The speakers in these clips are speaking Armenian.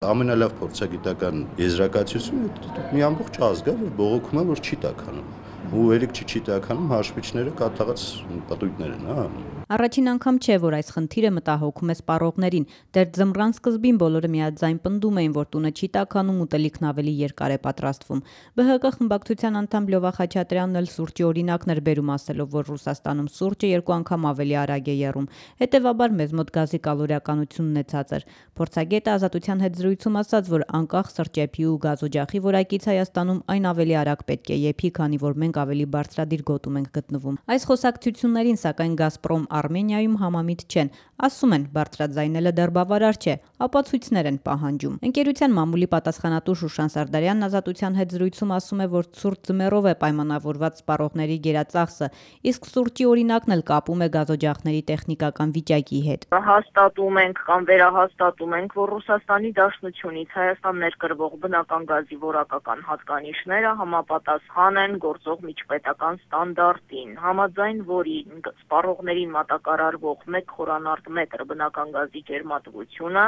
Ամենալավ փորձագիտական եզրակացությունը մի ամբողջ ազգ է, որ բողոքում է, որ չի տաքանում։ Ու երեք չի տաքանում, հաշվիչները կատաղած պատույտներ են, հա։ Առաջին անգամ չէ, որ այս խնդիրը մտահոգում է սպառողներին։ Դեռ ձմռան սկզբին բոլորը միաձայն պնդում էին, որ տունը չի տաքանում, ուտելիքն ավելի երկար է պատրաստվում։ ԲՀԿ խմբակցության անդամ Լյովա Խաչատրյանն էլ սուրճի օրինակն էր բերում, ասելով, որ Ռուսաստանում սուրճը 2 անգամ ավելի արագ է եռում։ Հետևաբար մեզ մոտ գազի կալորիականությունն է ցածր։ Փորձագետը Ազատության հետ զրույցում ասաց, որ անկախ սրճեփի ու գազօջախի որակից Հայաստանում այն ավելի արագ պետք է եփի, քանի որ մենք ավելի բարձրադիր գոտում ենք գտնվում։ Այս խոսակցություններին, սակայն Գազպրոմ Արմենիայում համամիտ չեն, ասում են բարձրաձայնելը դեռ բավարար չէ, ապացույցներ են պահանջում։ Ընկերության մամուլի պատասխանատու Շուշան Սարդարյանն Ազատության հետ զրույցում ասում է, որ ցուրտ ձմեռով է պայմանավորված սպառողների գերածախսը, իսկ սուրճի օրինակն էլ կապում է գազօջախների տեխնիկական վիճակի հետ։ Հաստատում ենք կամ վերահաստատում ենք, որ Ռուսաստանի Դաշնությունից Հայաստան ներկրվող բնական գազի որակական հատկանիշները համապատասխան են գործող միջպետական ստանդարտին, համաձայն որին սպառողներին մատակարարվող 1 խորանարդ մետր բնական գազի ջերմատվությունը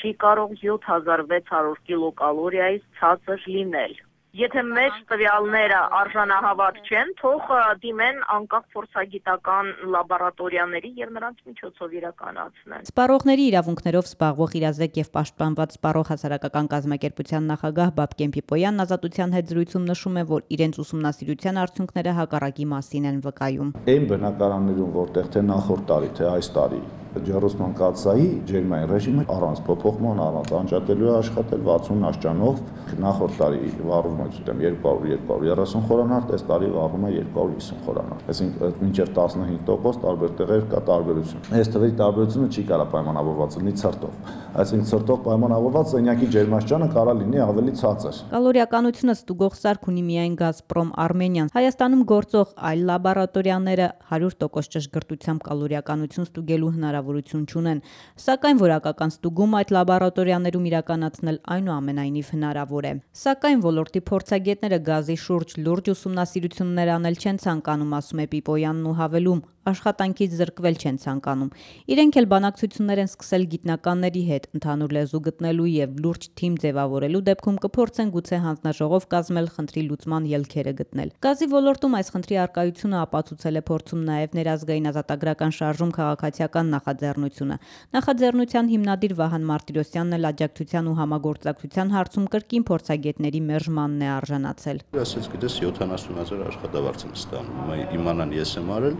չի կարող 7600 կիլոկալորիայից ցածր լինել։ Եթե մեր տվյալները արժանահավատ չեն, թող դիմեն անկախ փորձագիտական լաբորատորիաների եւ նրանց միջոցով իրականացնեն։ Սպառողների իրավունքներով զբաղվող իրազեկ եւ պաշտպանված սպառող հասարակական կազմակերպության նախագահ Բաբկեն Պիպոյանն Ազատության հետ զրույցում նշում է, որ իրենց ուսումնասիրության արդյունքները հակառակի մասին են վկայում։ Այն բնակարաններում, որտեղ թե նախորդ տարի, թե այս տարի ջեռուսման կաթսայի ջերմային ռեժիմը առանց փոփոխման, առանց անջատելու է աշխատել 60 աշճանով, նախորդ տարի վառվում է 200-230 խորանարդ, այս տարի վառվում է 250 խորանարդ։ Այսինքն մինչև 15% տարբեր տեղեր կա տարբերություն։ Այս թվերի տարբերությունը չի կարող պայմանավորված լինի ցրտով։ Այսինքն ցրտով պայմանավորված սենյակի ջերմաստիճանը կարող լինի ավելի ցածր։ Կալորիականությունը ստուգող սարք ունի միայն Գազպրոմ Արմենիան։ Հայաստանում գործող այլ լաբորատորիաները 100% ճշգրտությամբ կալորիականություն ստուգելու հնարավորություն չունեն, սակայն որակական ստուգում այդ լաբորատորիաներում իրականացնել այնուամենայնիվ հնարավոր է։ Սակայն ոլորտի փորձագետները գազի շուրջ լուրջ ուսումնասիրություններ անել չեն ցանկանում, ասում է Պիպոյանն ու հավելում, աշխատանքից զրկվել չեն ցանկանում։ Իրենք էլ բանակցություններ են սկսել գիտնականների հետ, ընդհանուր լեզու գտնելու եւ լուրջ թիմ ձևավորելու դեպքում կփորձեն գուցե հանձնաժողով կազմել, խնդրի լուծման ելքերը գտնել։ Գազի ոլորտում այս խնդրի առկայությունը ապացուցել է փորձում նաեւ ներազգային ազատագրական շարժում քաղաքացիական նախաձեռնությունը։ Նախաձեռնության հիմնադիր Վահան Մարտիրոսյանն էլ աջակցության ու համագործակցության հարցում կրկին փորձագետների մերժմանն է արժանացել։ Ասած գիտես 70,000 աշխատավարձ եմ ստանում, իմանան ես եմ արել,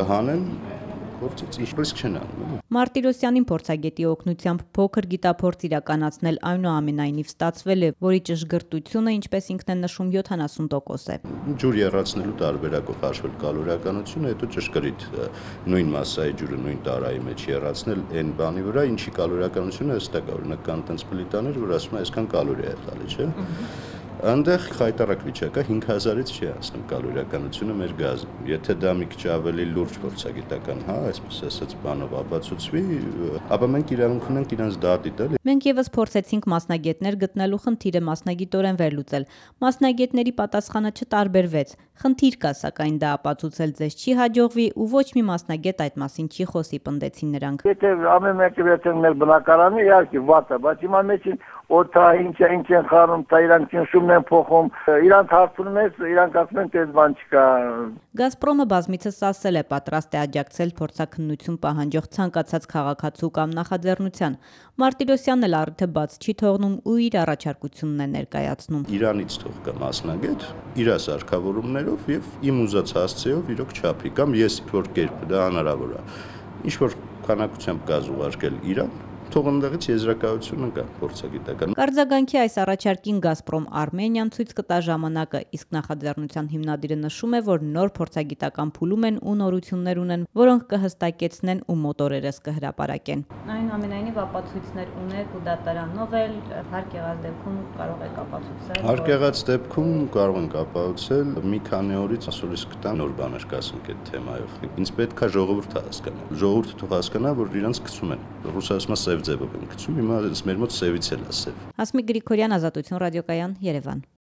կհանեն գործից ինչպես չեն անում։ Մարտիրոսյանին փորձագետի օգնությամբ փոքր գիտափորձ իրականացնել այնուամենայնիվ ստացվել է, որի ճշգրտությունը, ինչպես ինքն է նշում, 70% է։ Ջուր եռացնելու տարբերակով հաշվել կալորիականությունը, հետո ճշգրիտ նույն մասսայի ջուրը նույն տարայի մեջ եռացնել այն բանի վրա, ինչի կալորիականությունը հստակ է, օրինակ կան տենց պլիտաներ, որ ասում է այսքան կալորիա է տալի, չէ՞։ Այնտեղ խայտարակ վիճակ է, 5000-ից չի հասնում կալորիականությունը մեր գազը։ Եթե դա մի քիչ ավելի լուրջ փորձագիտական, հա, այսպես ասած, բանով ապացուցվի, ապա մենք իրավունք ունենք իրենց դատի տալ։ Մենք եւս փորձեցինք մասնագետներ գտնելու խնդիրը մասնագիտորեն վերլուծել։ Մասնագետների պատասխանը չտարբերվեց։ Խնդիր կա, սակայն դա ապացուցել ձեզ չի հաջողվի ու ոչ մի մասնագետ այդ մասին չի խոսի, պնդեցին նրանք։ Եթե ամեն մեկը վերցնեն մեր բնակարանը, իհարկե վատ է, բայց հիմա մեջին օթա ինչ են խառնում, դա իրանք շումն են փոխում, իրանք հարցնում են, իրանք ասում են, դες բան չկա։ Գազպրոմը բազմիցս ասել է պատրաստ է աջակցել փորձաքննություն պահանջող ցանկացած քաղաքացու կամ նախաձեռնության։ Մարտիրոսյանն էլ առիթը բաց չի թողնում ու իր առաջարկությունն է ներկայացնում։ Իրանից թող կա մասնագետ, իր սարքավորումներով եւ իմ ուզած հասցեով իրոք չափի կամ ես որ կերպ դա հնարավոր է։ Ինչ որ քանակությամբ գազ ուղարկել Իրան, թող ընդդեղից եզրակացությունը կա փորձագիտական։ Կարձագանքի այս առաջարկին Գազպրոմ Արմենիան ցույց կտա ժամանակը, իսկ նախաձեռնության հիմնադիրը նշում է, որ նոր փորձագիտական փուլում են ու նորություններ ունեն, որոնք կհստակեցնեն ու մոտորերս կհրապարակեն։ Այնուամենայնիվ ապացույցներ ունեք ու դատարանով էլ հարկ եղած դեպքում կարող եք ապացուցել։ Հարկ եղած դեպքում կարող ենք ապացուցել, մի քանի օրից ասորից կտա նոր բաներ կասենք այդ թեմայով։ Ինձ պետք է ժողովուրդը հասկանա։ Ժողովուրդը թող հասկանա, որ իրանց գցում են։ Ռուսաստանը ձևով են գցում, հիմա մեր մոտ սևից էլ է սև։ Հասմիկ Գրիգորյան, Ազատություն ռադիոկայան, Երևան։